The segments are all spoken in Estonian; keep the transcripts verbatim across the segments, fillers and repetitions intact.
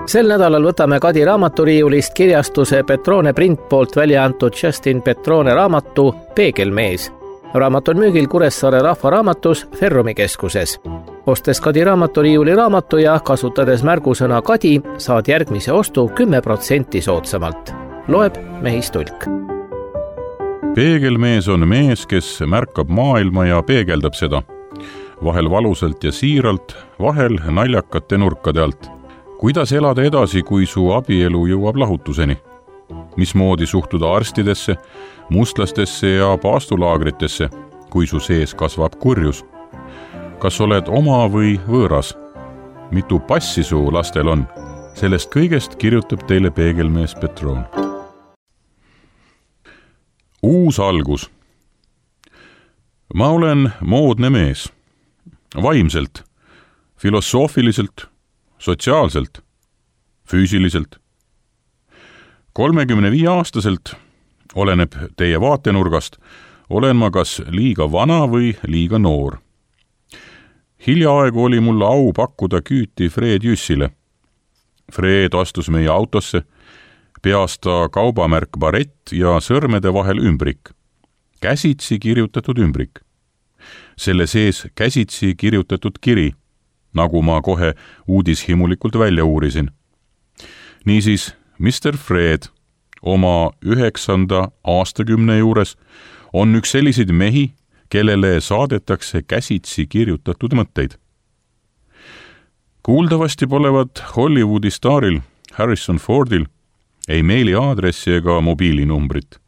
Sel nädalal võtame Kadi raamaturiiulist kirjastuse Petrone print poolt välja antud Justin Petrone raamatu Peegelmees. Raamat on müügil Kuressaare rahvaraamatus Ferrumi keskuses. Ostes Kadi raamaturiiuli raamatu ja kasutades märgusõna Kadi, saad järgmise ostu kümme protsenti soodsamalt. Loeb Mehis Tulk. Peegelmees on mees, kes märkab maailma ja peegeldab seda. Vahel valusalt ja siiralt, vahel naljakate nurkade alt. Kuidas elada edasi, kui su abielu jõuab lahutuseni? Mismoodi suhtuda arstidesse, mustlastesse ja paastulaagritesse, kui su sees kasvab kurjus? Kas oled oma või võõras? Mitu passi su lastel on? Sellest kõigest kirjutab teile Peegelmees Petrone. Uus algus. Ma olen moodne mees. Vaimselt, filosoofiliselt, sotsiaalselt, füüsiliselt. kolmekümne viie aastaselt, oleneb teie vaatenurgast, olen ma kas liiga vana või liiga noor. Hiljaaegu oli mul au pakkuda küüti Fred Jüssile. Fred astus meie autosse, peasta kaubamärk barett ja sõrmede vahel ümbrik. Käsitsi kirjutatud ümbrik. Selle sees käsitsi kirjutatud kiri, nagu ma kohe uudishimulikult välja uurisin. Niisiis, mister Fred oma üheksanda aastakümne juures on üks selliseid mehi, kellele saadetakse käsitsi kirjutatud mõtteid. Kuuldavasti polevat Hollywoodi staaril Harrison Fordil ei meili aadressi ega mobiilinumbrit.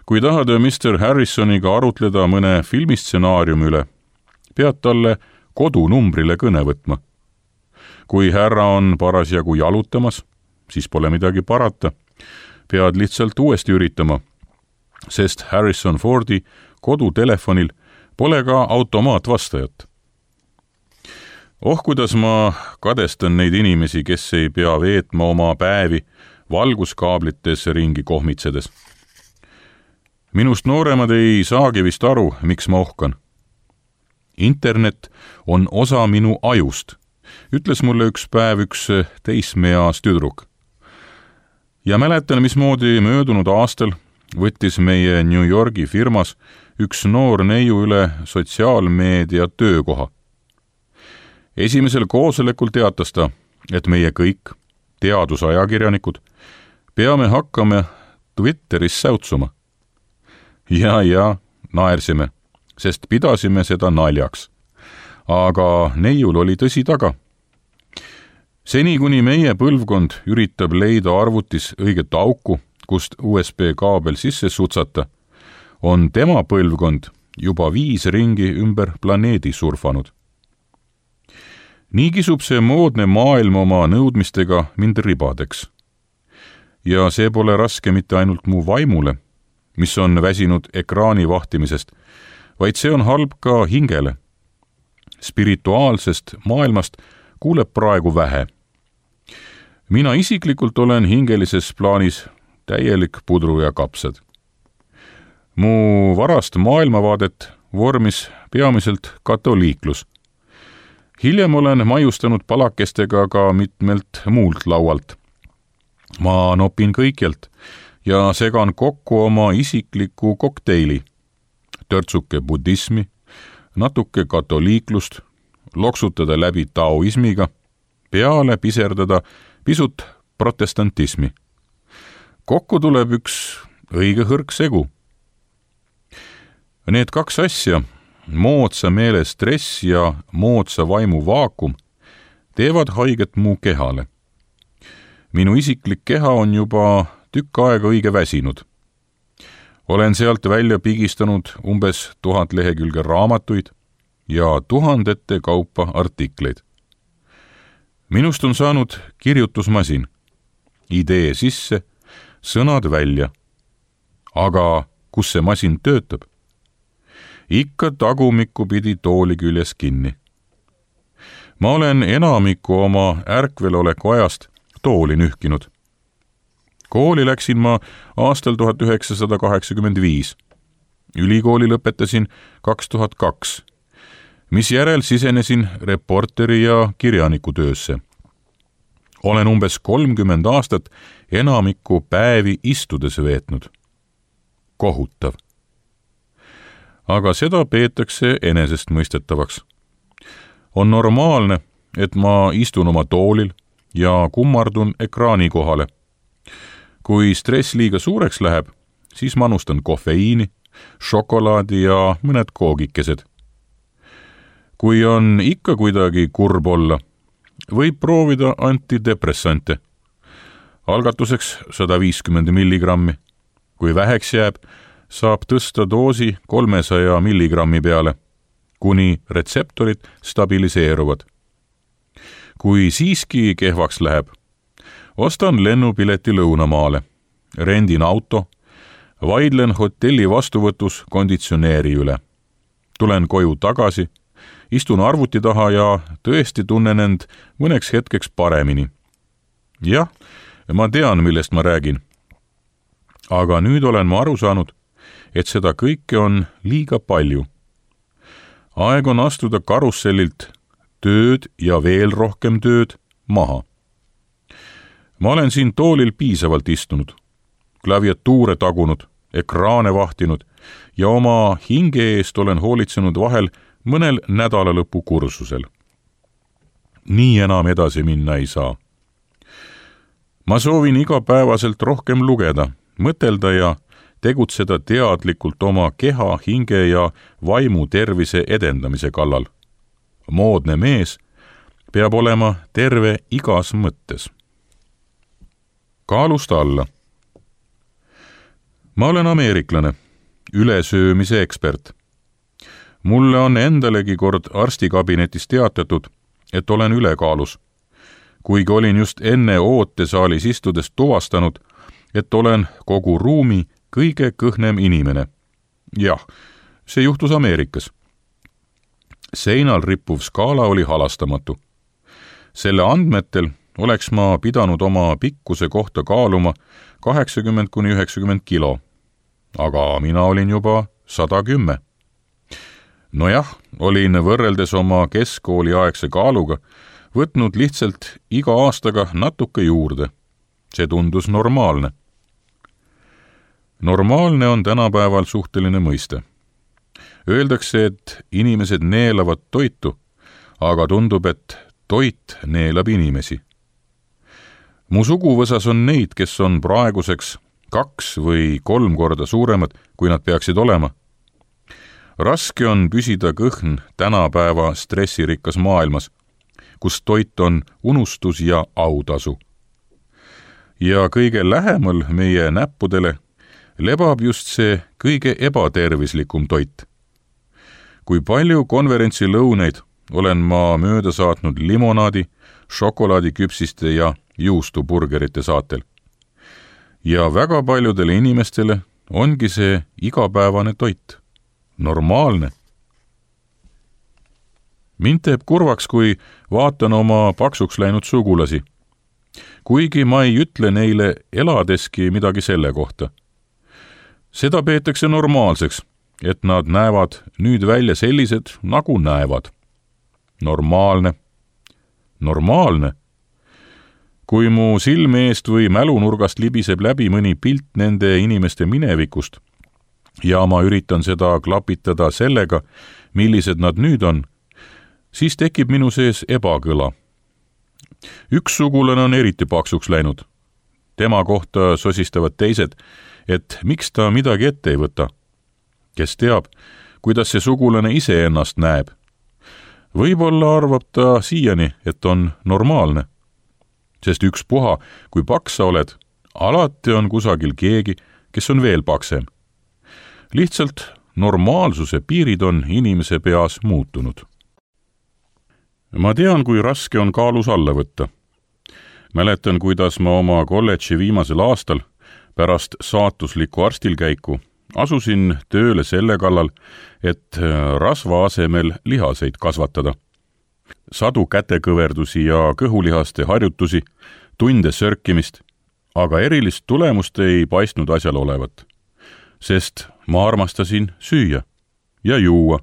Kui tahad mister Harrisoniga arutleda mõne filmistsenaariumi üle, pead talle kodunumbrile kõne võtma. Kui härra on parasjagu jalutamas, siis pole midagi parata. Pead lihtsalt uuesti üritama, sest Harrison Fordi kodutelefonil pole ka automaatvastajat. Oh, kuidas ma kadestan neid inimesi, kes ei pea veetma oma päevi valguskaablites ringi kohmitsedes. Minust nooremad ei saagi vist aru, miks ma ohkan. Internet on osa minu ajust, ütles mulle üks päev üks teismeeas tüdruk. Ja mäletan, mismoodi möödunud aastal võttis meie New Yorgi firmas üks noor neiu üle sotsiaalmeedia töökoha. Esimesel koosolekul teatas ta, et meie kõik, teadusajakirjanikud, peame hakkama Twitteris säutsuma. Ja, ja, naersime, sest pidasime seda naljaks. Aga neiul oli tõsi taga. Seni kuni meie põlvkond üritab leida arvutis õiget auku, kust U S B kaabel sisse sutsata, on tema põlvkond juba viis ringi ümber planeedi surfanud. Nii kisub see moodne maailm oma nõudmistega mind ribadeks. Ja see pole raske mitte ainult mu vaimule, mis on väsinud ekraani vahtimisest, vaid see on halb ka hingele. Spirituaalsest maailmast kuuleb praegu vähe. Mina isiklikult olen hingelises plaanis täielik pudru ja kapsad. Mu varast maailmavaadet vormis peamiselt katoliiklus. Hiljem olen maiustanud palakestega ka mitmelt muult laualt. Ma nopin kõikjalt ja segan kokku oma isikliku kokteili. Törtsuke buddhismi, natuke katoliiklust, loksutada läbi taoismiga, peale piserdada pisut protestantismi. Kokku tuleb üks õige hõrk segu. Need kaks asja, moodsa meele stress ja moodsa vaimu vaakum, teevad haiget mu kehale. Minu isiklik keha on juba tükk aega õige väsinud. Olen sealt välja pigistanud umbes tuhat lehekülge raamatuid ja tuhandete kaupa artikleid. Minust on saanud kirjutusmasin. Idee sisse, sõnad välja. Aga kus see masin töötab? Ikka tagumikku pidi tooli küljes kinni. Ma olen enamiku oma ärkveloleku ajast tooli nühkinud. Kooli läksin ma aastal tuhat üheksasada kaheksakümmend viis. Ülikooli lõpetasin kaks tuhat kaks, mis järel sisenesin reporteri ja kirjaniku töösse. olen umbes kolmkümmend aastat enamikku päevi istudes veetnud. Kohutav. Aga seda peetakse enesestmõistetavaks. On normaalne, et ma istun oma toolil ja kummardun ekraani kohale. Kui stress liiga suureks läheb, siis manustan kofeiini, šokolaadi ja mõned koogikesed. Kui on ikka kuidagi kurb olla, võib proovida antidepressante. Algatuseks sada viiskümmend milligrammi. Kui väheks jääb, saab tõsta doosi kolmesaja milligrammi peale, kuni retseptorid stabiliseeruvad. Kui siiski kehvaks läheb, ostan lennupileti lõunamaale, rendin auto, vaidlen hotelli vastuvõtus konditsioneeri üle. Tulen koju tagasi, istun arvuti taha ja tõesti tunnen end mõneks hetkeks paremini. Jah, ma tean, millest ma räägin. Aga nüüd olen ma aru saanud, et seda kõike on liiga palju. Aeg on astuda karussellilt tööd ja veel rohkem tööd maha. Ma olen siin toolil piisavalt istunud, klaviatuure tagunud, ekraane vahtinud ja oma hinge eest olen hoolitsenud vahel mõnel nädalalõpu kursusel. Nii enam edasi minna ei saa. Ma soovin igapäevaselt rohkem lugeda, mõtelda ja tegutseda teadlikult oma keha, hinge ja vaimu tervise edendamise kallal. Moodne mees peab olema terve igas mõttes. Kaalust alla. Ma olen ameeriklane, ülesöömise ekspert. Mulle on endalegi kord arstikabinetis teatatud, et olen ülekaalus, kuigi olin just enne ootesaalis istudes tuvastanud, et olen kogu ruumi kõige kõhnem inimene. Jah, see juhtus Ameerikas. Seinal rippuv skaala oli halastamatu. Selle andmetel oleks ma pidanud oma pikkuse kohta kaaluma kaheksakümmend kuni üheksakümmend kilo, aga mina olin juba sada kümme. Nojah, olin võrreldes oma keskkooli aegse kaaluga võtnud lihtsalt iga aastaga natuke juurde. See tundus normaalne. Normaalne on tänapäeval suhteline mõiste. Öeldakse, et inimesed neelavad toitu, aga tundub, et toit neelab inimesi. Mu suguvõsas on neid, kes on praeguseks kaks või kolm korda suuremad, kui nad peaksid olema. Raske on püsida kõhn tänapäeva stressirikkas maailmas, kus toit on unustus ja autasu. Ja kõige lähemal meie näppudele lebab just see kõige ebatervislikum toit. Kui palju konverentsilõuneid olen ma mööda saatnud limonaadi, šokolaadiküpsiste ja juustuburgerite saatel. Ja väga paljudele inimestele ongi see igapäevane toit. Normaalne. Mind teeb kurvaks, kui vaatan oma paksuks läinud sugulasi. Kuigi ma ei ütle neile eladeski midagi selle kohta. Seda peetakse normaalseks, et nad näevad nüüd välja sellised, nagu näevad. Normaalne. Normaalne. Kui mu silme eest või mälunurgast libiseb läbi mõni pilt nende inimeste minevikust ja ma üritan seda klapitada sellega, millised nad nüüd on, siis tekib minu sees ebakõla. Üks sugulane on eriti paksuks läinud. Tema kohta sosistavad teised, et miks ta midagi ette ei võta. Kes teab, kuidas see sugulane ise ennast näeb. Võib-olla arvab ta siiani, et on normaalne. Sest üks puha, kui paks sa oled, alati on kusagil keegi, kes on veel paksem. Lihtsalt normaalsuse piirid on inimese peas muutunud. Ma tean, kui raske on kaalus alla võtta. Mäletan, kuidas ma oma kolledži viimasel aastal pärast saatuslikku arstilkäiku asusin tööle selle kallal, et rasva asemel lihaseid kasvatada. Sadu kätekõverdusi ja kõhulihaste harjutusi, tunde sörkimist, aga erilist tulemust ei paistnud asjal olevat. Sest ma armastasin süüa ja juua.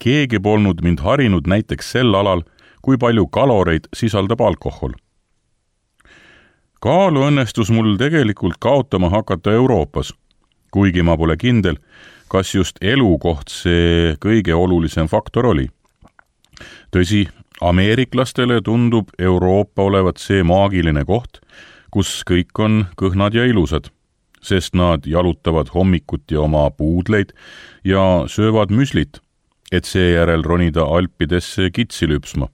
Keegi polnud mind harinud näiteks sel alal, kui palju kaloreid sisaldab alkohol. Kaalu õnnestus mul tegelikult kaotama hakata Euroopas, kuigi ma pole kindel, kas just elukoht see kõige olulisem faktor oli. Tõsi, ameeriklastele tundub Euroopa olevat see maagiline koht, kus kõik on kõhnad ja ilusad, sest nad jalutavad hommikuti oma puudleid ja söövad müslit, et seejärel ronida Alpidesse kitsi lüpsma.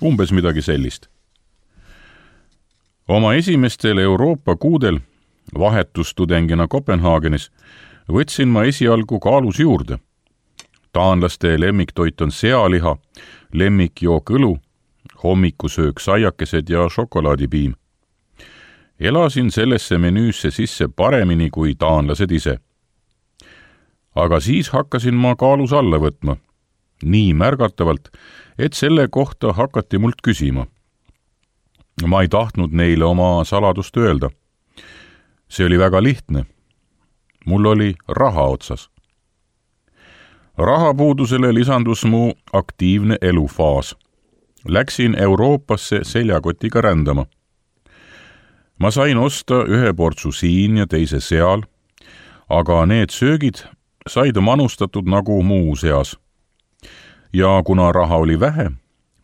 Umbes midagi sellist. Oma esimestel Euroopa kuudel vahetustudengina Kopenhaagenis võtsin ma esialgu Kaalus juurde. Taanlaste lemmiktoit on sealiha, lemmikjook õlu, hommikusöök saiakesed ja šokolaadipiim. Elasin sellesse menüüsse sisse paremini kui taanlased ise. Aga siis hakkasin ma Kaalus alla võtma, nii märgatavalt, et selle kohta hakati mult küsima. Ma ei tahtnud neile oma saladust öelda. See oli väga lihtne. Mul oli raha otsas. Rahapuudusele lisandus mu aktiivne elufaas. Läksin Euroopasse seljakotiga rändama. Ma sain osta ühe portsu siin ja teise seal, aga need söögid said manustatud nagu muu seas. Ja kuna raha oli vähe,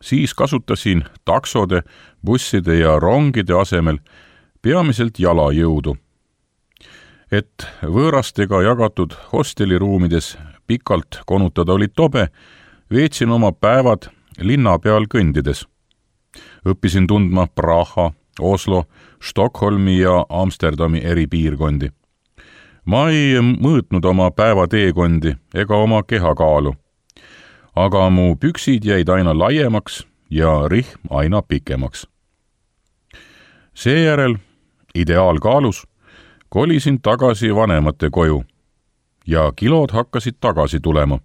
siis kasutasin taksode, busside ja rongide asemel peamiselt jalajõudu. Et võõrastega jagatud hosteliruumides pikalt konutada oli tobe, veetsin oma päevad linna peal kõndides. Õppisin tundma Praha, Oslo, Stockholmi ja Amsterdami eri piirkondi. Ma ei mõõtnud oma päevateekondi ega oma kehakaalu, aga mu püksid jäid aina laiemaks ja rihm aina pikemaks. Seejärel, ideaalkaalus, kolisin tagasi vanemate koju ja kilod hakkasid tagasi tulema.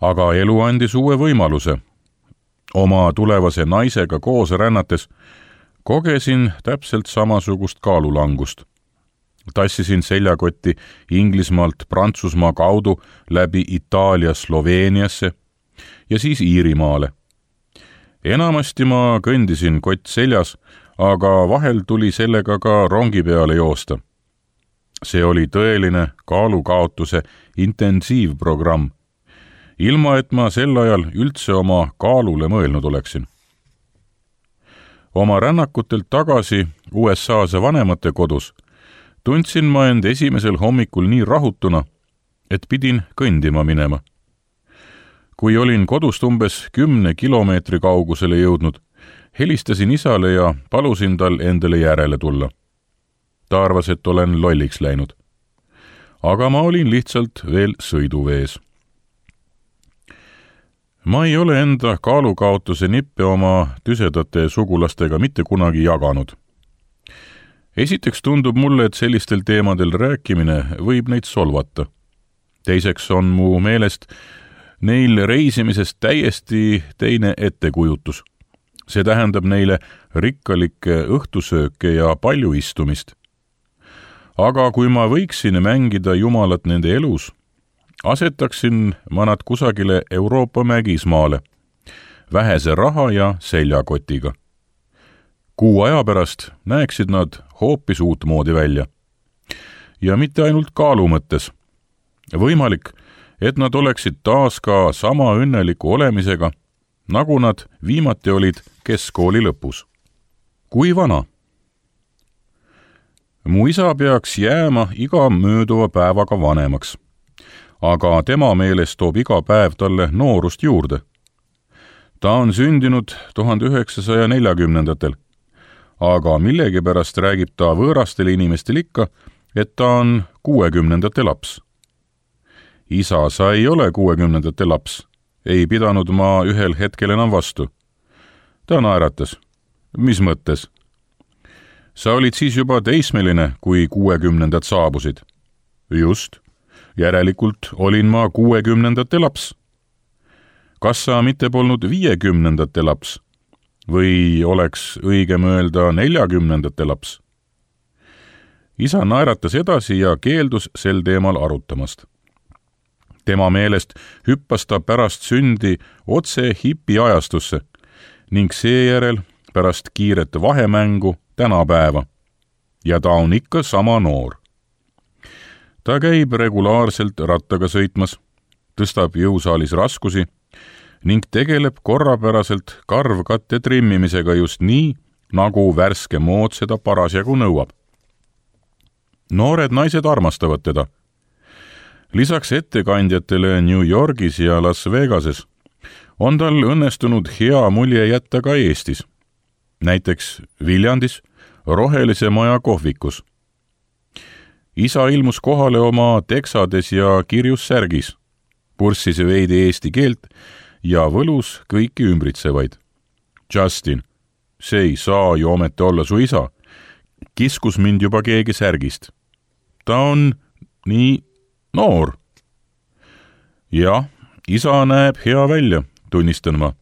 Aga elu andis uue võimaluse. Oma tulevase naisega koos rännates kogesin täpselt samasugust kaalulangust. Tassisin seljakotti Inglismaalt Prantsusmaa kaudu läbi Itaalia Sloveeniasse ja siis Iirimaale. Enamasti ma kõndisin kott seljas, aga vahel tuli sellega ka rongi peale joosta. See oli tõeline kaalukaotuse intensiivprogramm, ilma et ma sel ajal üldse oma kaalule mõelnud oleksin. Oma rännakutelt tagasi U S A-se vanemate kodus tundsin ma end esimesel hommikul nii rahutuna, et pidin kõndima minema. Kui olin kodust umbes kümne kilomeetri kaugusele jõudnud, helistasin isale ja palusin tal endale järele tulla. Ta arvas, et olen lolliks läinud. Aga ma olin lihtsalt veel sõiduvees. Ma ei ole enda kaalukaotuse nippe oma tüsedate sugulastega mitte kunagi jaganud. Esiteks tundub mulle, et sellistel teemadel rääkimine võib neid solvata. Teiseks on mu meelest neil reisimisest täiesti teine ettekujutus. See tähendab neile rikkalikke õhtusööke ja palju istumist. Aga kui ma võiksin mängida jumalat nende elus, asetaksin ma nad kusagile Euroopa mägismaale, vähese raha ja seljakotiga. Kuu aja pärast näeksid nad hoopis uutmoodi välja. Ja mitte ainult kaalu mõttes. Võimalik, et nad oleksid taas ka sama õnneliku olemisega, nagu nad viimati olid keskkooli lõpus. Kui vana? Mu isa peaks jääma iga mööduva päevaga vanemaks, aga tema meelest toob iga päev talle noorust juurde. Ta on sündinud tuhande üheksasaja neljakümnendatel, aga millegipärast räägib ta võõrastel inimestel ikka, et ta on kuuekümnendate laps. Isa, sa ei ole kuuekümnendate laps, ei pidanud ma ühel hetkel enam vastu. Ta naeratas. Mis mõttes? Sa olid siis juba teismeline, kui kuuekümnendad saabusid. Just. Järelikult olin ma kuuekümnendate laps. Kas sa mitte polnud viiekümnendate laps? Või oleks õigem öelda neljakümnendate laps? Isa naeratas edasi ja keeldus sel teemal arutamast. Tema meelest hüppas ta pärast sündi otse hipi ajastusse ning seejärel pärast kiiret vahemängu tänapäeva ja ta on ikka sama noor. ta käib regulaarselt rattaga sõitmas, tõstab jõusaalis raskusi ning tegeleb korrapäraselt karvkatte trimmimisega just nii, nagu värske mood seda parasjagu nõuab. noored naised armastavad teda. Lisaks ettekandjatele New Yorgis ja Las Vegases on tal õnnestunud hea mulje jätta ka Eestis, näiteks Viljandis Rohelise Maja kohvikus. isa ilmus kohale oma teksades ja kirjus särgis, purssis veidi eesti keelt ja võlus kõiki ümbritsevaid. Justin, see ei saa ju ometi olla su isa, kiskus mind juba keegi särgist. ta on nii noor. jah, isa näeb hea välja, tunnistan ma.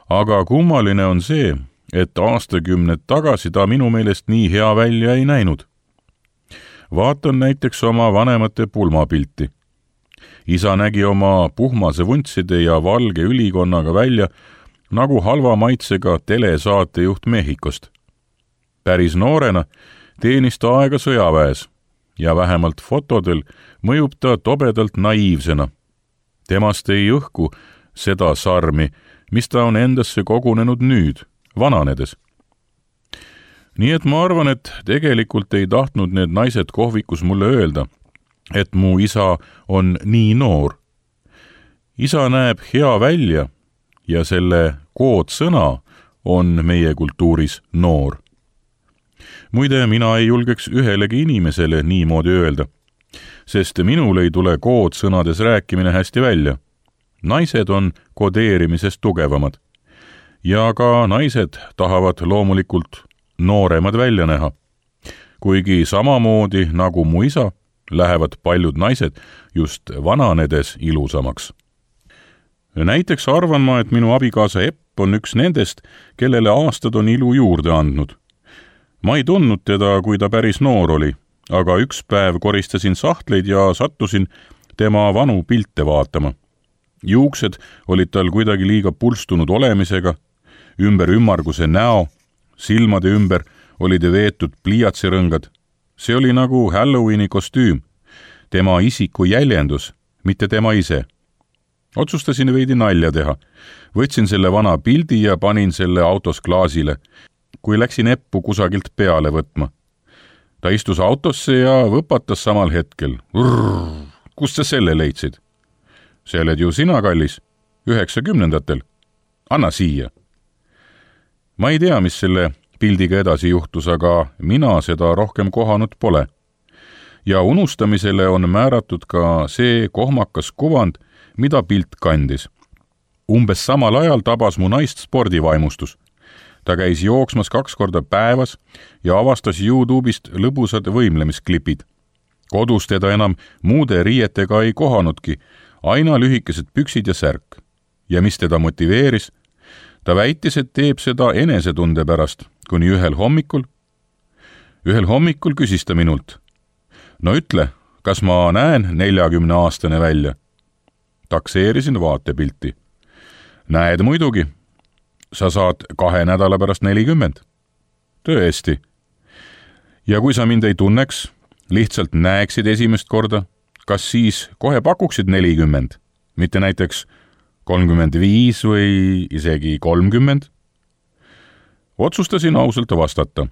aga kummaline on see, et aastakümned tagasi ta minu meelest nii hea välja ei näinud. vaatan näiteks oma vanemate pulmapilti. isa nägi oma puhmase vuntside ja valge ülikonnaga välja nagu halva maitsega telesaatejuht Mehhikost. päris noorena teenis ta aega sõjaväes ja vähemalt fotodel mõjub ta tobedalt naiivsena. temast ei õhku seda sarmi, mis ta on endasse kogunenud nüüd, vananedes. nii et ma arvan, et tegelikult ei tahtnud need naised kohvikus mulle öelda, et mu isa on nii noor. isa näeb hea välja ja selle koodsõna on meie kultuuris noor. muide, mina ei julgeks ühelegi inimesele niimoodi öelda, sest minul ei tule koodsõnades rääkimine hästi välja. naised on kodeerimisest tugevamad ja ka naised tahavad loomulikult nooremad välja näha. kuigi samamoodi nagu mu isa, lähevad paljud naised just vananedes ilusamaks. näiteks arvan ma, et minu abikaasa Epp on üks nendest, kellele aastad on ilu juurde andnud. ma ei tundnud teda, kui ta päris noor oli, aga üks päev koristasin sahtleid ja sattusin tema vanu pilte vaatama. Juuksed olid tal kuidagi liiga pulstunud olemisega, ümber ümmarguse näo, silmade ümber olid veetud pliiatsirõngad. see oli nagu Halloweeni kostüüm, tema isiku jäljendus, mitte tema ise. otsustasin veidi nalja teha. Võtsin selle vana pildi ja panin selle autos klaasile, kui läksin Eppu kusagilt peale võtma. ta istus autosse ja võpatas samal hetkel. Kust sa selle leidsid? see oled ju sina, kallis, üheksakümnendatel. anna siia. ma ei tea, mis selle pildiga edasi juhtus, aga mina seda rohkem kohanud pole. ja unustamisele on määratud ka see kohmakas kuvand, mida pilt kandis. Umbes samal ajal tabas mu naist spordivaimustus. ta käis jooksmas kaks korda päevas ja avastas YouTube'ist lõbusad võimlemisklipid. kodus teda enam muude riietega ei kohanudki, aina lühikesed püksid ja särk. ja mis teda motiveeris? ta väitis, et teeb seda enesetunde pärast, kuni ühel hommikul. ühel hommikul küsis ta minult: no ütle, kas ma näen neljakümneaastane välja? Takseerisin vaatepilti. näed muidugi. sa saad kahe nädala pärast nelikümmend. tõesti. ja kui sa mind ei tunneks, lihtsalt näeksid esimest korda, kas siis kohe pakuksid nelikümmend, mitte näiteks kolmkümmend viis või isegi kolmkümmend? Otsustasin ausalt vastata.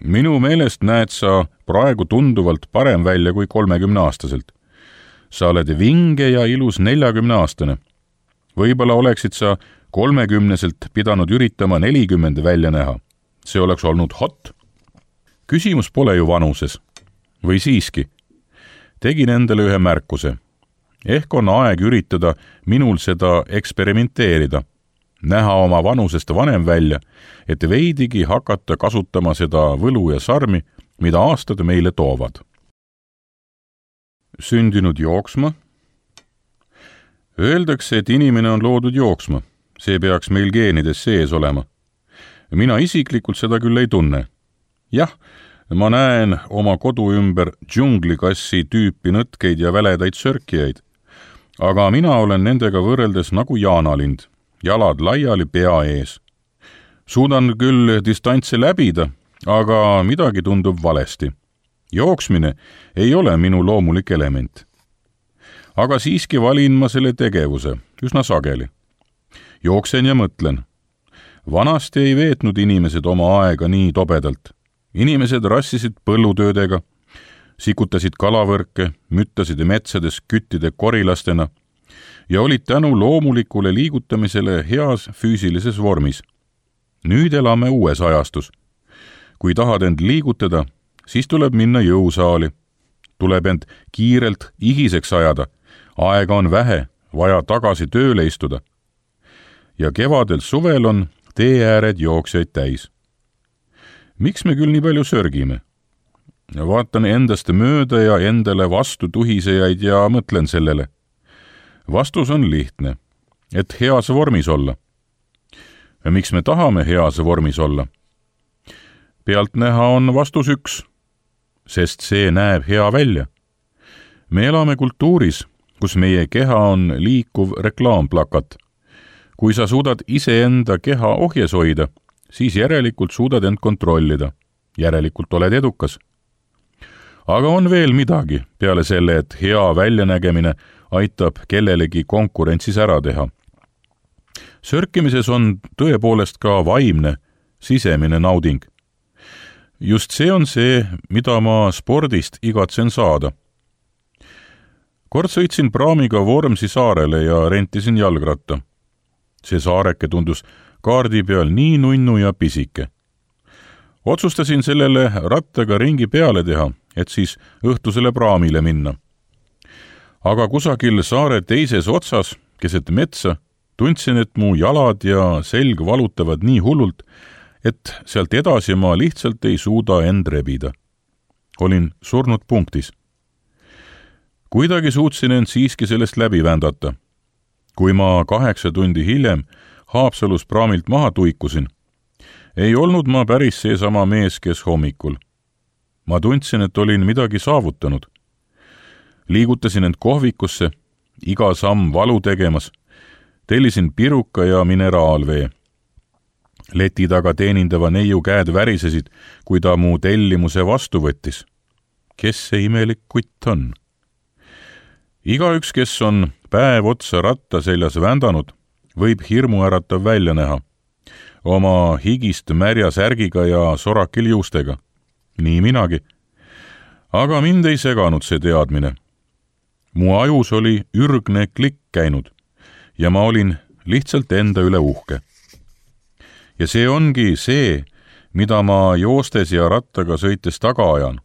minu meelest näed sa praegu tunduvalt parem välja kui kolmekümneaastaselt. sa oled vinge ja ilus neljakümneaastane. Võib-olla oleksid sa kolmekümneselt pidanud üritama nelikümmend välja näha. see oleks olnud hot. küsimus pole ju vanuses. või siiski? tegin endale ühe märkuse. ehk on aeg üritada minul seda eksperimenteerida, näha oma vanusest vanem välja, et veidigi hakata kasutama seda võlu ja sarmi, mida aastad meile toovad. Sündinud jooksma? Öeldakse, et inimene on loodud jooksma. See peaks meil geenides sees olema. Mina isiklikult seda küll ei tunne. Jah, ma näen oma kodu ümber džunglikassi tüüpi nõtkeid ja väledaid sörkijaid, aga mina olen nendega võrreldes nagu jaanalind, jalad laiali pea ees. Suudan küll distantse läbida, aga midagi tundub valesti. Jooksmine ei ole minu loomulik element. Aga siiski valin ma selle tegevuse üsna sageli. Jooksen ja mõtlen. Vanasti ei veetnud inimesed oma aega nii tobedalt. Inimesed rassisid põllutöödega, sikutasid kalavõrke, müttasid metsades küttide korilastena ja olid tänu loomulikule liigutamisele heas füüsilises vormis. Nüüd elame uues ajastus. Kui tahad end liigutada, siis tuleb minna jõusaali. Tuleb end kiirelt igiseks ajada. Aega on vähe, vaja tagasi tööle istuda. Ja kevadel suvel on tee ääred jooksjaid täis. Miks me küll nii palju sörgime? Vaatan endast mööda ja endale vastu tuhisejaid ja mõtlen sellele. Vastus on lihtne, et heas vormis olla. Ja miks me tahame heas vormis olla? Pealtnäha on vastus üks, sest see näeb hea välja. Me elame kultuuris, kus meie keha on liikuv reklaamplakat. Kui sa suudad iseenda keha ohjes hoida, siis järelikult suudad end kontrollida. Järelikult oled edukas. Aga on veel midagi peale selle, et hea väljanägemine aitab kellelegi konkurentsis ära teha. Sörkimises on tõepoolest ka vaimne, sisemine nauding. Just see on see, mida ma spordist igatsen saada. Kord sõitsin praamiga Vormsi saarele ja rentisin jalgratta. See saareke tundus kaardi peal nii nunnu ja pisike. Otsustasin sellele rattaga ringi peale teha, et siis õhtusele praamile minna. Aga kusagil saare teises otsas, keset metsa, tundsin, et mu jalad ja selg valutavad nii hullult, et sealt edasi ma lihtsalt ei suuda end rebida. Olin surnud punktis. Kuidagi suutsin end siiski sellest läbi vändata. Kui ma kaheksa tundi hiljem Haapsalus praamilt maha tuikusin, ei olnud ma päris seesama mees, kes hommikul. Ma tundsin, et olin midagi saavutanud. Liigutasin end kohvikusse, iga samm valu tegemas, tellisin piruka ja mineraalvee. Leti taga teenindava neiu käed värisesid, kui ta mu tellimuse vastu võttis. Kes see imelik kutt on? Igaüks, kes on päev otsa ratta seljas vändanud, võib hirmuäratav välja näha. Oma higist märja särgiga ja sorakil juustega. Nii minagi. Aga mind ei seganud see teadmine. Mu ajus oli ürgne klikk käinud ja ma olin lihtsalt enda üle uhke. Ja see ongi see, mida ma joostes ja rattaga sõites taga ajan.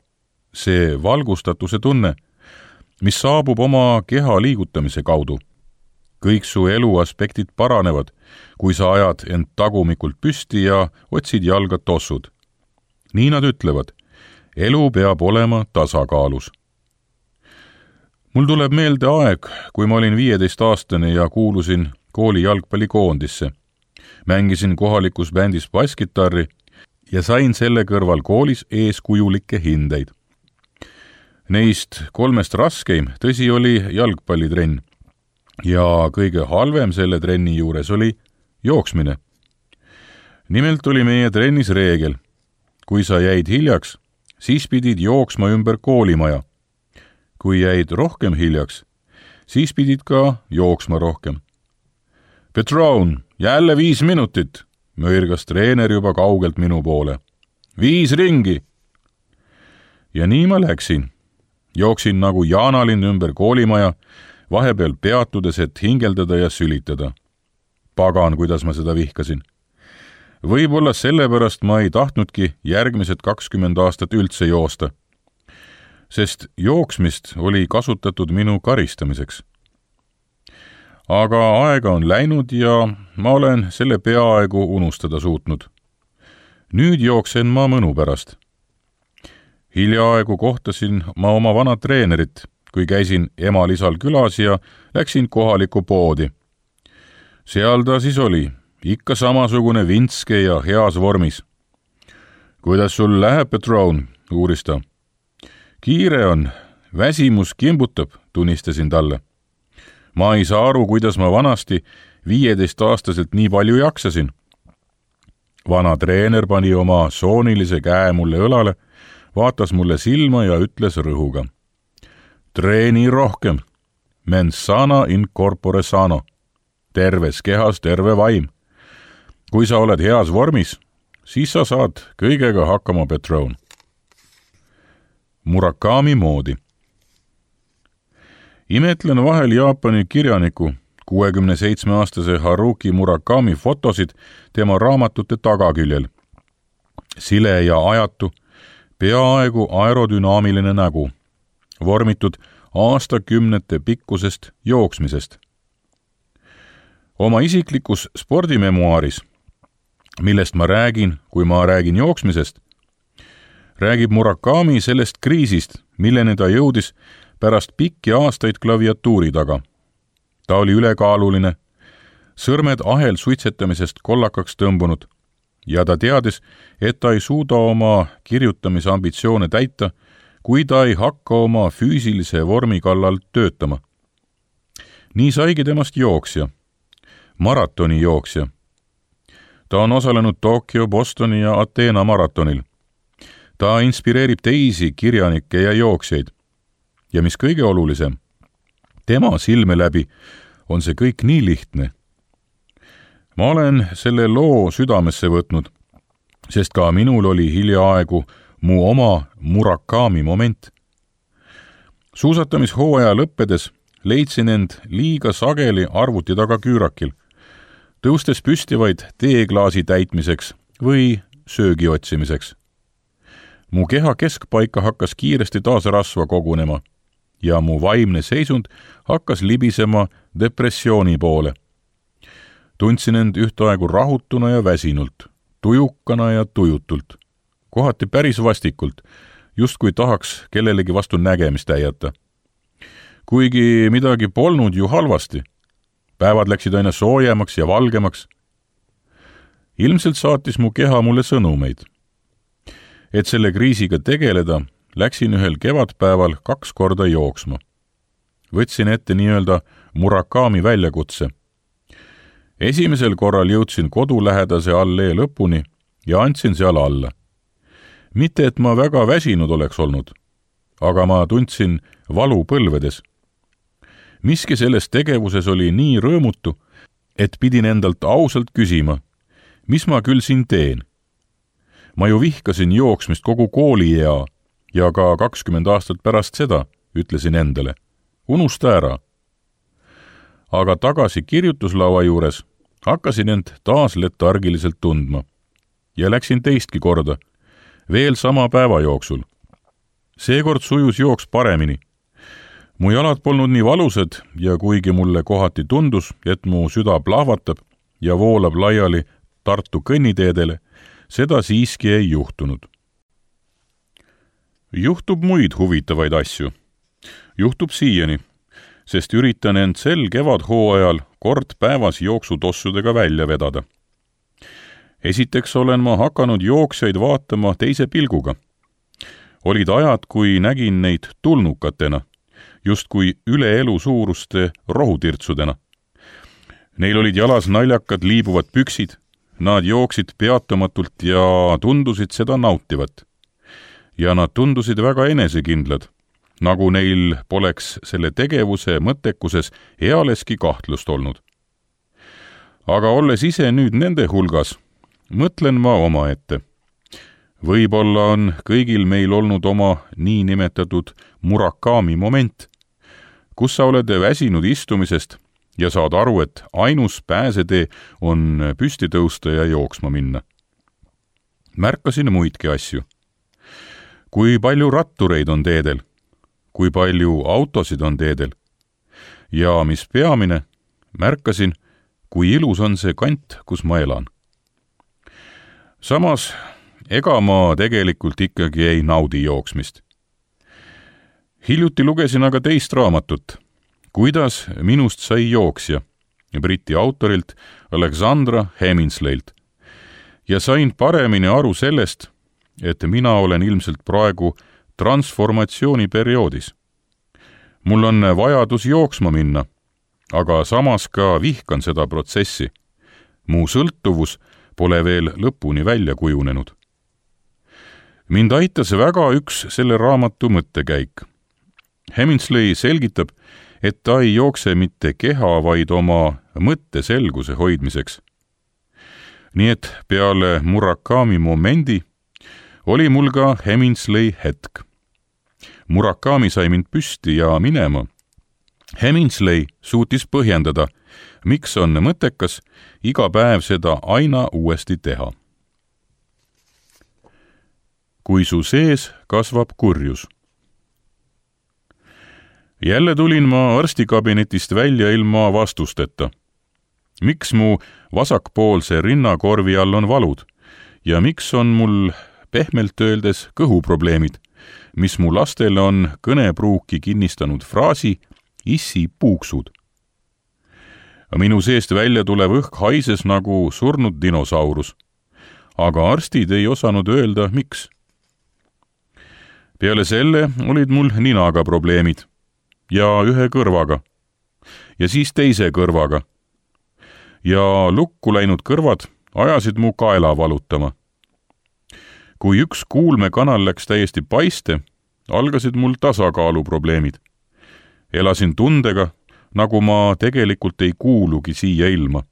See valgustatuse tunne, mis saabub oma keha liigutamise kaudu. Kõik su elu aspektid paranevad, kui sa ajad end tagumikult püsti ja otsid jalga tossud. Nii nad ütlevad, elu peab olema tasakaalus. Mul tuleb meelde aeg, kui ma olin viieteistaastane ja kuulusin kooli jalgpallikoondisse. Mängisin kohalikus bändis basskitarri ja sain selle kõrval koolis eeskujulikke hindeid. Neist kolmest raskeim, tõsi, oli jalgpallitrenn ja kõige halvem selle trenni juures oli jooksmine. Nimelt oli meie trennis reegel. Kui sa jäid hiljaks, siis pidid jooksma ümber koolimaja. Kui jäid rohkem hiljaks, siis pidid ka jooksma rohkem. Petron, jälle viis minutit, möirgas treener juba kaugelt minu poole. Viis ringi! Ja nii ma läksin. Jooksin nagu jaanalinn ümber koolimaja, vahepeal peatudes, et hingeldada ja sülitada. Pagan, kuidas ma seda vihkasin. Võib-olla sellepärast ma ei tahtnudki järgmised kakskümmend aastat üldse joosta, sest jooksmist oli kasutatud minu karistamiseks. Aga aega on läinud ja ma olen selle peaaegu unustada suutnud. Nüüd jooksen ma mõnu pärast. Hiljaaegu kohtasin ma oma vana treenerit, kui käisin emalisal külas ja läksin kohalikku poodi. Seal ta siis oli, ikka samasugune vintske ja heas vormis. Kuidas sul läheb, Petron, uuris ta. Kiire on, väsimus kimbutab, tunnistasin talle. Ma ei saa aru, kuidas ma vanasti viieteist aastaselt nii palju jaksasin. vana treener pani oma soonilise käe mulle õlale, vaatas mulle silma ja ütles rõhuga. Treeni rohkem, mens sana in corpore sano, terves kehas terve vaim. Kui sa oled heas vormis, siis sa saad kõigega hakkama, Petrone. Murakami moodi. Imetlen vahel Jaapani kirjaniku kuuekümne seitsme aastase Haruki Murakami fotosid tema raamatute tagaküljel. Sile ja ajatu, peaaegu aerodünaamiline nägu, vormitud aastakümnete pikkusest jooksmisest. Oma isiklikus spordimemuaaris, millest ma räägin, kui ma räägin jooksmisest, räägib Murakami sellest kriisist, milleni ta jõudis pärast pikki aastaid klaviatuuri taga. Ta oli ülekaaluline, sõrmed ahel suitsetamisest kollakaks tõmbunud ja ta teadis, et ta ei suuda oma kirjutamisambitsioone täita, kui ta ei hakka oma füüsilise vormi kallal töötama. Nii saigi temast jooksja, maratoni jooksja. Ta on osalenud Tokyo, Bostoni ja Ateena maratonil. Ta inspireerib teisi kirjanikke ja jooksjaid. Ja mis kõige olulisem, tema silme läbi on see kõik nii lihtne. Ma olen selle loo südamesse võtnud, sest ka minul oli hiljaaegu mu oma Murakami moment. Suusatamishooaja lõppedes leidsin end liiga sageli arvuti taga küürakil, tõustes püsti vaid teeklaasi täitmiseks või söögi otsimiseks. Mu keha keskpaika hakkas kiiresti taas rasva kogunema ja mu vaimne seisund hakkas libisema depressiooni poole. Tundsin end ühtaegu rahutuna ja väsinult, tujukana ja tujutult, kohati päris vastikult, just kui tahaks kellelegi vastu nägemist täiata. Kuigi midagi polnud ju halvasti, päevad läksid aina soojemaks ja valgemaks. Ilmselt saatis mu keha mulle sõnumeid. Et selle kriisiga tegeleda, läksin ühel kevadpäeval kaks korda jooksma. Võtsin ette nii-öelda Murakami väljakutse. Esimesel korral jõudsin kodulähedase allee lõpuni ja andsin seal alla. Mitte, et ma väga väsinud oleks olnud, aga ma tundsin valu põlvedes. Miski selles tegevuses oli nii rõõmutu, et pidin endalt ausalt küsima, mis ma küll siin teen. Ma ju vihkasin jooksmist kogu kooliea ja ka kakskümmend aastat pärast seda, ütlesin endale. Unusta ära. Aga tagasi kirjutuslaua juures hakkasin end taas letargiliselt tundma ja läksin teistki korda, veel sama päeva jooksul. Seekord sujus jooks paremini. Mu jalad polnud nii valusad ja kuigi mulle kohati tundus, et mu süda plahvatab ja voolab laiali Tartu kõnniteedele, seda siiski ei juhtunud. Juhtub muid huvitavaid asju. Juhtub siiani, sest üritan end sel kevadhooajal kord päevas jooksutossudega välja vedada. Esiteks olen ma hakanud jooksjaid vaatama teise pilguga. Olid ajad, kui nägin neid tulnukatena, justkui üle elu suuruste rohutirtsudena. Neil olid jalas naljakad liibuvad püksid, nad jooksid peatumatult ja tundusid seda nautivat. Ja nad tundusid väga enesekindlad, nagu neil poleks selle tegevuse mõttekuses ealeski kahtlust olnud. Aga olles ise nüüd nende hulgas, mõtlen ma oma ette. Võib-olla on kõigil meil olnud oma niinimetatud Murakami moment, kus sa oled väsinud istumisest ja saad aru, et ainus pääsetee on püsti tõusta ja jooksma minna. Märkasin muidki asju. Kui palju rattureid on teedel, kui palju autosid on teedel ja mis peamine, märkasin, kui ilus on see kant, kus ma elan. Samas, ega ma tegelikult ikkagi ei naudi jooksmist. Hiljuti lugesin aga teist raamatut, Kuidas minust sai jooksja, Briti autorilt Alexandra Heminsleilt, ja sain paremini aru sellest, et mina olen ilmselt praegu transformatsiooniperioodis. Mul on vajadus jooksma minna, aga samas ka vihkan seda protsessi. Mu sõltuvus pole veel lõpuni välja kujunenud. Mind aitas väga üks selle raamatu mõttekäik. Hemingsley selgitab, et ta ei jookse mitte keha, vaid oma mõtteselguse hoidmiseks. Nii et peale Murakami momendi oli mul ka Hemingsley hetk. Murakami sai mind püsti ja minema. Hemingsley suutis põhjendada, miks on mõttekas iga päev seda aina uuesti teha. Kui su sees kasvab kurjus. Jälle tulin ma arstikabinetist välja ilma vastusteta. Miks mu vasakpoolse rinnakorvi all on valud ja miks on mul pehmelt öeldes kõhuprobleemid, mis mu lastele on kõnepruuki kinnistanud fraasi issi puuksud. Minu seest välja tulev õhk haises nagu surnud dinosaurus, aga arstid ei osanud öelda, miks. Peale selle olid mul ninaga probleemid ja ühe kõrvaga ja siis teise kõrvaga ja lukku läinud kõrvad ajasid mu kaela valutama. Kui üks kuulmekanal läks täiesti paiste, algasid mul tasakaaluprobleemid. Elasin tundega, nagu ma tegelikult ei kuulugi siia ilma.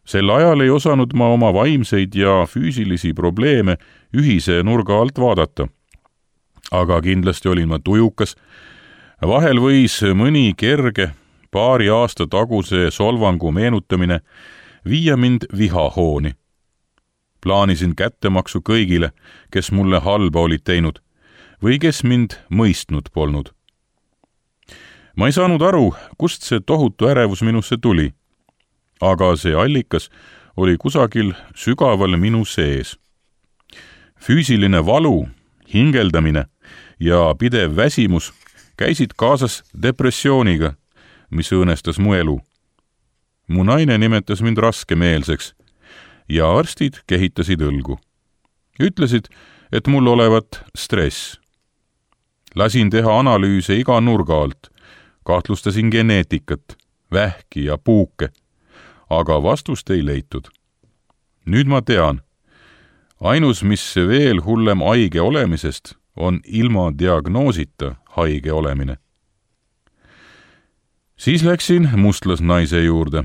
Sel ajal ei osanud ma oma vaimseid ja füüsilisi probleeme ühise nurga alt vaadata. Aga kindlasti olin ma tujukas. Vahel võis mõni kerge paari aasta taguse solvangu meenutamine viia mind vihahooni. Plaanisin kättemaksu kõigile, kes mulle halba olid teinud või kes mind mõistnud polnud. Ma ei saanud aru, kust see tohutu ärevus minusse tuli, aga see allikas oli kusagil sügaval minu sees. Füüsiline valu, hingeldamine ja pidev väsimus käisid kaasas depressiooniga, mis õõnestas mu elu. Mu naine nimetas mind raskemeelseks ja arstid kehitasid õlgu. Ütlesid, et mul olevat stress. Lasin teha analüüse iga nurga alt, kahtlustasin geneetikat, vähki ja puuke, aga vastust ei leitud. Nüüd ma tean, ainus, mis veel hullem haige olemisest, on ilma diagnoosita haige olemine. Siis läksin mustlasnaise juurde.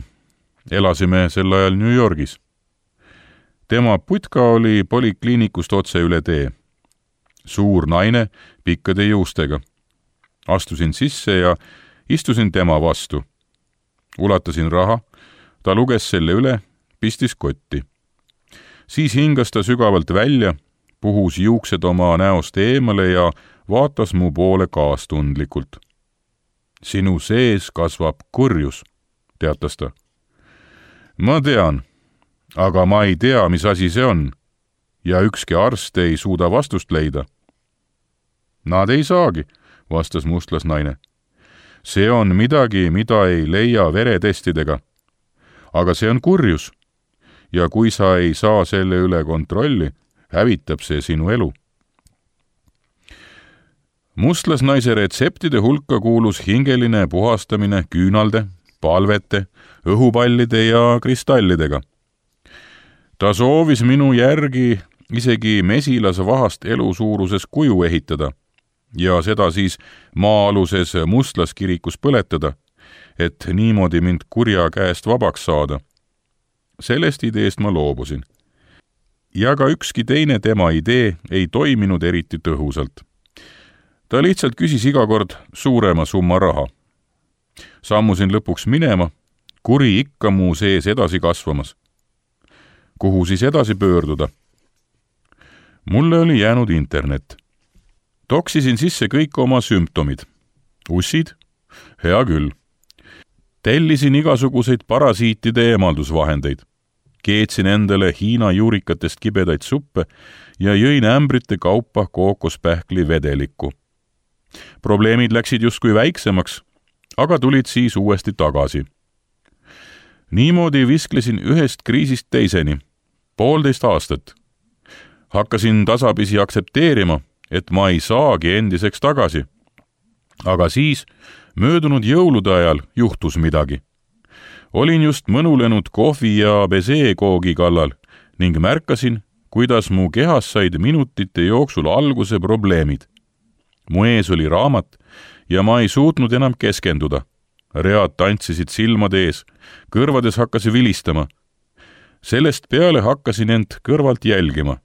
Elasime sel ajal New Yorgis. Tema putka oli polikliinikust otse üle tee. Suur naine pikkade juustega. Astusin sisse ja istusin tema vastu. Ulatasin raha, ta luges selle üle, pistis kotti. Siis hingas ta sügavalt välja, puhus juuksed oma näost eemale ja vaatas mu poole kaastundlikult. Sinu sees kasvab kurjus, teatas ta. Ma tean, aga ma ei tea, mis asi see on, ja ükski arst ei suuda vastust leida. Nad ei saagi, vastas mustlasnaine. See on midagi, mida ei leia veretestidega. Aga see on kurjus, ja kui sa ei saa selle üle kontrolli, hävitab see sinu elu. Mustlasnaise retseptide hulka kuulus hingeline puhastamine küünalde, palvete, õhupallide ja kristallidega. Ta soovis minu järgi isegi mesilasvahast elusuuruses kuju ehitada ja seda siis maa-aluses mustlaskirikus põletada, et niimoodi mind kurja käest vabaks saada. Sellest ideest ma loobusin. Ja ka ükski teine tema idee ei toiminud eriti tõhusalt. Ta lihtsalt küsis iga kord suurema summa raha. Sammusin lõpuks minema, kuri ikka mu sees edasi kasvamas. Kuhu siis edasi pöörduda? Mulle oli jäänud internet. Toksisin sisse kõik oma sümptomid. Ussid? Hea küll. Tellisin igasuguseid parasiitide eemaldusvahendeid. Keetsin endale Hiina juurikatest kibedaid suppe ja jõin ämbrite kaupa kookospähkli vedelikku. Probleemid läksid justkui väiksemaks, aga tulid siis uuesti tagasi. Niimoodi visklesin ühest kriisist teiseni, poolteist aastat. Hakkasin tasapisi aktsepteerima, et ma ei saagi endiseks tagasi. Aga siis, möödunud jõulude ajal juhtus midagi. olin just mõnulenud kohvi ja besee-koogi kallal ning märkasin, kuidas mu kehas said minutite jooksul alguse probleemid. Mu ees oli raamat ja ma ei suutnud enam keskenduda. Read tantsisid silmade ees, kõrvades hakkas vilistama. Sellest peale hakkasin end kõrvalt jälgima.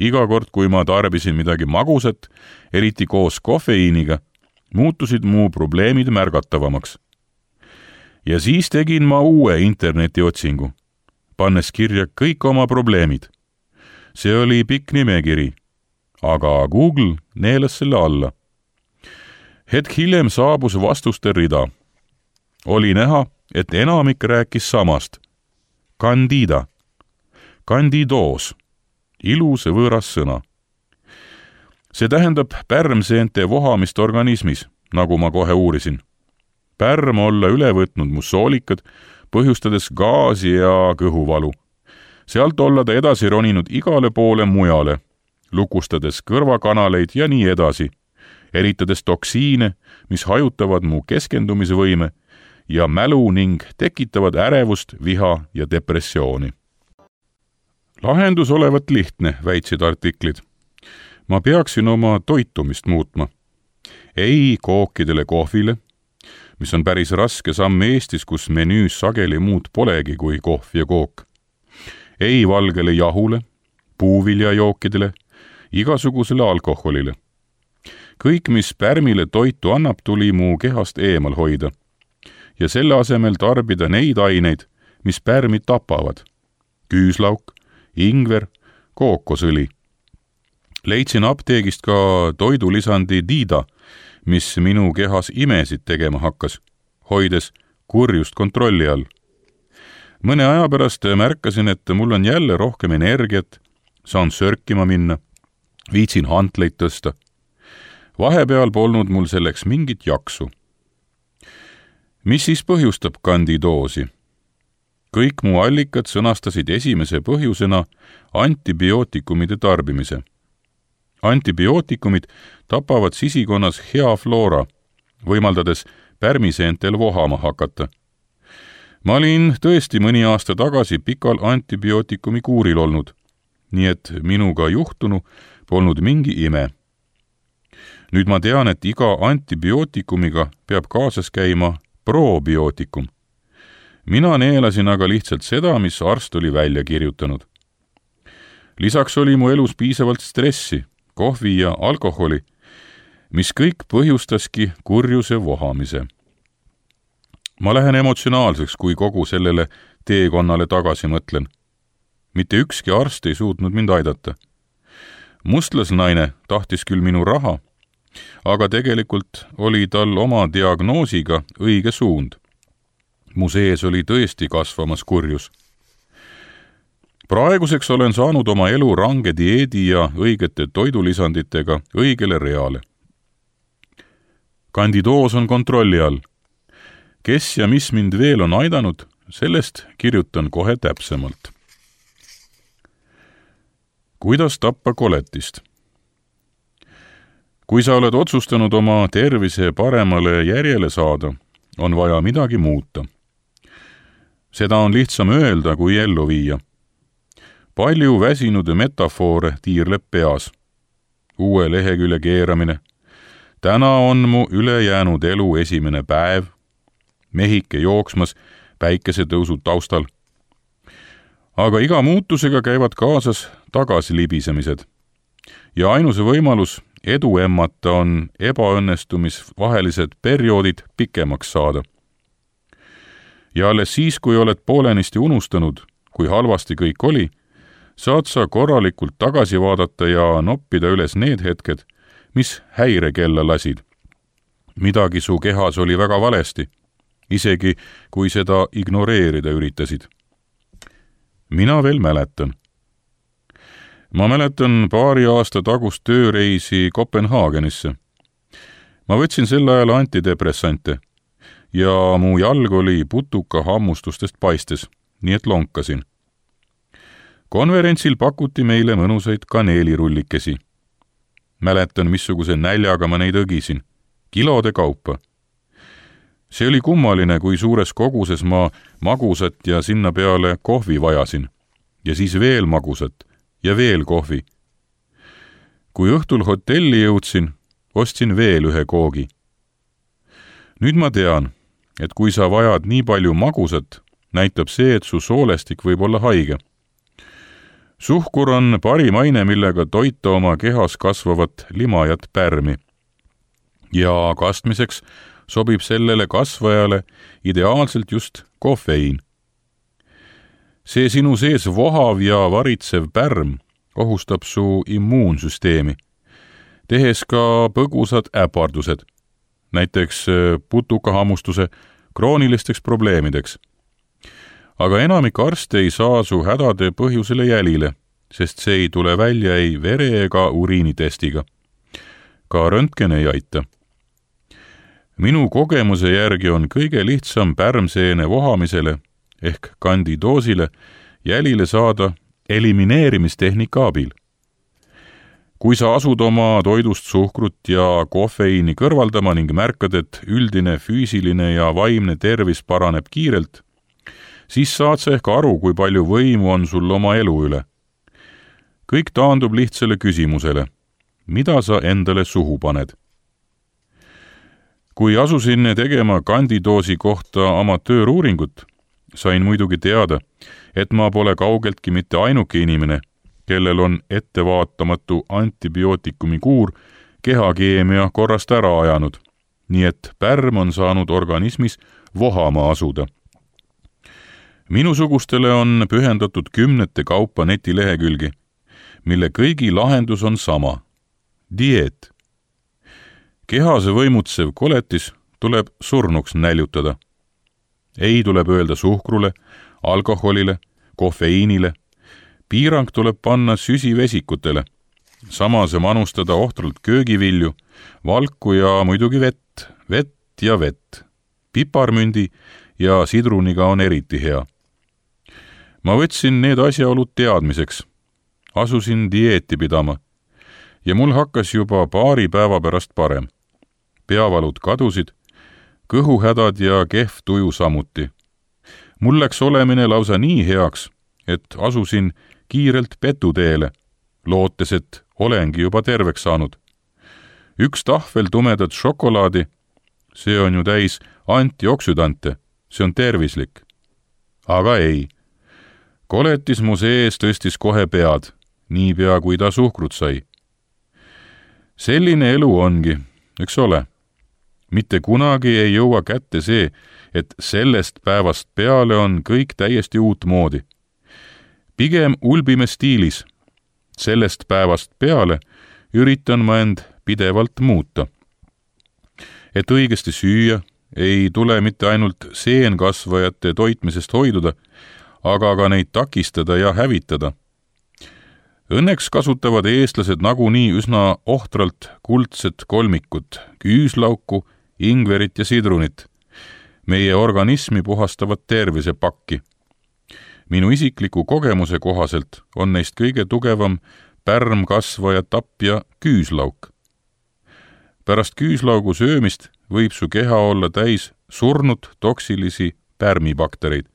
Iga kord, kui ma tarbisin midagi magusat, eriti koos kofeiiniga, muutusid mu probleemid märgatavamaks. Ja siis tegin ma uue internetiotsingu, pannes kirja kõik oma probleemid. See oli pikk nimekiri, aga Google neelas selle alla. Hetk hiljem saabus vastuste rida. Oli näha, et enamik rääkis samast. Candida. Candidoos. Ilus võõras sõna. See tähendab pärmseente vohamist organismis, nagu ma kohe uurisin. Pärm olla üle võtnud mu soolikad, põhjustades gaasi ja kõhuvalu. Sealt olla ta edasi roninud igale poole mujale, lukustades kõrvakanaleid ja nii edasi, eritades toksiine, mis hajutavad mu keskendumisvõime ja mälu ning tekitavad ärevust, viha ja depressiooni. Lahendus olevat lihtne, väitsid artiklid. Ma peaksin oma toitumist muutma. Ei kookidele kohvile, mis on päris raske samm Eestis, kus menüüs sageli muud polegi kui kohv ja kook. Ei valgele jahule, puuviljajookidele, igasugusele alkoholile. Kõik, mis pärmile toitu annab, tuli mu kehast eemal hoida ja selle asemel tarbida neid aineid, mis pärmi tapavad. Küüslauk, ingver, kookosõli. Leidsin apteegist ka toidulisandi Dida, mis minu kehas imesid tegema hakkas, hoides kurjust kontrolli all. Mõne aja pärast märkasin, et mul on jälle rohkem energiat, saan sörkima minna, viitsin hantleid tõsta. Vahepeal polnud mul selleks mingit jaksu. Mis siis põhjustab kandidoosi? Kõik mu allikad sõnastasid esimese põhjusena antibiootikumide tarbimise. Antibiootikumid tapavad sisikonnas hea floora, võimaldades pärmiseentel vohama hakata. Ma olin tõesti mõni aasta tagasi pikal antibiootikumi kuuril olnud, nii et minuga juhtunu polnud mingi ime. Nüüd ma tean, et iga antibiootikumega peab kaasas käima probiootikum. Mina neelasin aga lihtsalt seda, mis arst oli välja kirjutanud. Lisaks oli mu elus piisavalt stressi, kohvi ja alkoholi, mis kõik põhjustaski kurjuse vohamise. Ma lähen emotsionaalseks, kui kogu sellele teekonnale tagasi mõtlen. Mitte ükski arst ei suutnud mind aidata. Mustlasnaine tahtis küll minu raha, aga tegelikult oli tal oma diagnoosiga õige suund. Mu sees oli tõesti kasvamas kurjus. Praeguseks olen saanud oma elu range dieedi ja õigete toidulisanditega õigele reale. Candidoos on kontrolli all. Kes ja mis mind veel on aidanud, sellest kirjutan kohe täpsemalt. Kuidas tappa koletist? Kui sa oled otsustanud oma tervise paremale järjele saada, on vaja midagi muuta. Seda on lihtsam öelda kui ellu viia. Palju väsinud metafoore tiirleb peas. Uue lehekülje keeramine. Täna on mu ülejäänud elu esimene päev. Mehike jooksmas päikesetõusu taustal. Aga iga muutusega käivad kaasas tagasilibisemised. Ja ainus võimalus edu emmata on ebaõnnestumisvahelised perioodid pikemaks saada. Ja alles siis, kui oled poolenisti unustanud, kui halvasti kõik oli, saad sa korralikult tagasi vaadata ja noppida üles need hetked, mis häirekella lasid. Midagi su kehas oli väga valesti, isegi kui seda ignoreerida üritasid. Mina veel mäletan. Ma mäletan paari aasta tagust tööreisi Kopenhaagenisse. Ma võtsin sel ajal antidepressante ja mu jalg oli putuka hammustustest paistes, nii et lonkasin. Konverentsil pakuti meile mõnusaid kaneelirullikesi. Mäletan, missuguse näljaga ma neid õgisin, kilode kaupa. see oli kummaline, kui suures koguses ma magusat ja sinna peale kohvi vajasin. Ja siis veel magusat ja veel kohvi. Kui õhtul hotelli jõudsin, ostsin veel ühe koogi. Nüüd ma tean, et kui sa vajad nii palju magusat, näitab see, et su soolestik võib olla haige. Suhkur on parim aine, millega toita oma kehas kasvavat limajat pärmi. Ja kastmiseks sobib sellele kasvajale ideaalselt just kofeiin. See sinu sees vohav ja varitsev pärm ohustab su immuunsüsteemi, tehes ka põgusad äpardused, näiteks putukahammustuse kroonilisteks probleemideks. Aga enamik arste ei saa su hädade põhjusele jälile, sest see ei tule välja ei vere ega uriinitestiga. Ka röntgen ei aita. Minu kogemuse järgi on kõige lihtsam pärmseene vohamisele ehk kandidoosile jälile saada elimineerimistehnika abil. Kui sa asud oma toidust suhkrut ja kofeiini kõrvaldama ning märkad, et üldine füüsiline ja vaimne tervis paraneb kiirelt, siis saad sa ehk aru, kui palju võimu on sul oma elu üle. Kõik taandub lihtsale küsimusele, mida sa endale suhu paned. Kui asusin tegema kandidoosi kohta amatööruuringut, sain muidugi teada, et ma pole kaugeltki mitte ainuke inimene, kellel on ettevaatamatu antibiootikumi kuur kehakeemia korrast ära ajanud, nii et pärm on saanud organismis vohama asuda. Minusugustele on pühendatud kümnete kaupa netilehekülgi, mille kõigi lahendus on sama – dieet. Kehase võimutsev koletis tuleb surnuks näljutada. Ei tuleb öelda suhkrule, alkoholile, kofeiinile. Piirang tuleb panna süsivesikutele. Samas manustada ohtralt köögivilju, valku ja muidugi vett, vett ja vett. Piparmündi ja sidruniga on eriti hea. Ma võtsin need asjaolud teadmiseks. Asusin dieeti pidama. Ja mul hakkas juba paari päeva pärast parem. Peavalud kadusid, kõhuhädad ja kehv tuju samuti. Mul läks olemine lausa nii heaks, et asusin kiirelt petuteele, lootes, et olengi juba terveks saanud. Üks tahvel tumedat šokolaadi, see on ju täis antioksüdante, see on tervislik. Aga ei. Koletis mu sees tõstis kohe pead, niipea kui ta suhkrut sai. Selline elu ongi, eks ole. Mitte kunagi ei jõua kätte see, et sellest päevast peale on kõik täiesti uut moodi. Pigem ulbime stiilis. Sellest päevast peale üritan ma end pidevalt muuta. Et õigesti süüa ei tule mitte ainult seenkasvajate toitmisest hoiduda, aga ka neid takistada ja hävitada. Õnneks kasutavad eestlased nagunii üsna ohtralt kuldset kolmikut, küüslauku, ingverit ja sidrunit. Meie organismi puhastavad tervisepakki. Minu isikliku kogemuse kohaselt on neist kõige tugevam pärmkasvaja tapja küüslauk. Pärast küüslaugu söömist võib su keha olla täis surnud toksilisi pärmibaktereid.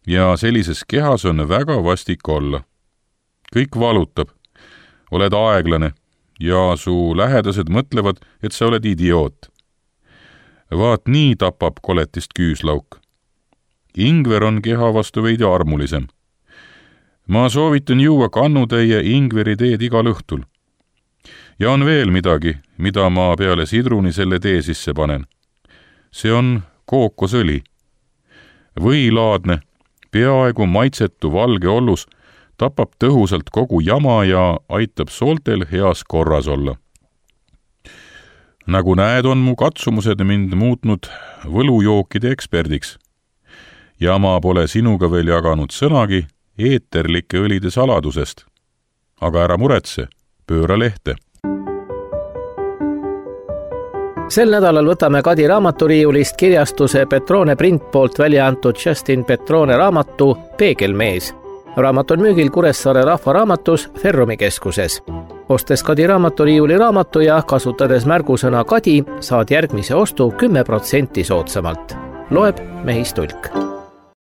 Ja sellises kehas on väga vastik olla. Kõik valutab, oled aeglane ja su lähedased mõtlevad, et sa oled idioot. Vaat nii tapab koletist küüslauk. Ingver on keha vastu veidi armulisem. Ma soovitan juua kannutäie ingveriteed igal õhtul. Ja on veel midagi, mida ma peale sidruni selle tee sisse panen. See on kookosõli. Võilaadne, peaaegu maitsetu valge ollus tapab tõhusalt kogu jama ja aitab sooltel heas korras olla. Nagu näed, on mu katsumused mind muutnud võlujookide eksperdiks. Ja ma pole sinuga veel jaganud sõnagi eeterlike õlide saladusest. Aga ära muretse, pööra lehte. Sel nädalal võtame Kadi raamaturiiulist kirjastuse Petrone Print poolt välja antud Justin Petrone raamatu Peegelmees. Raamat on müügil Kuressaare Rahvaraamatus Ferrumi keskuses. ostes Kadi raamaturiiuli raamatu ja kasutades märgusõna Kadi, saad järgmise ostu kümme protsenti soodsamalt. Loeb Mehis Tulk.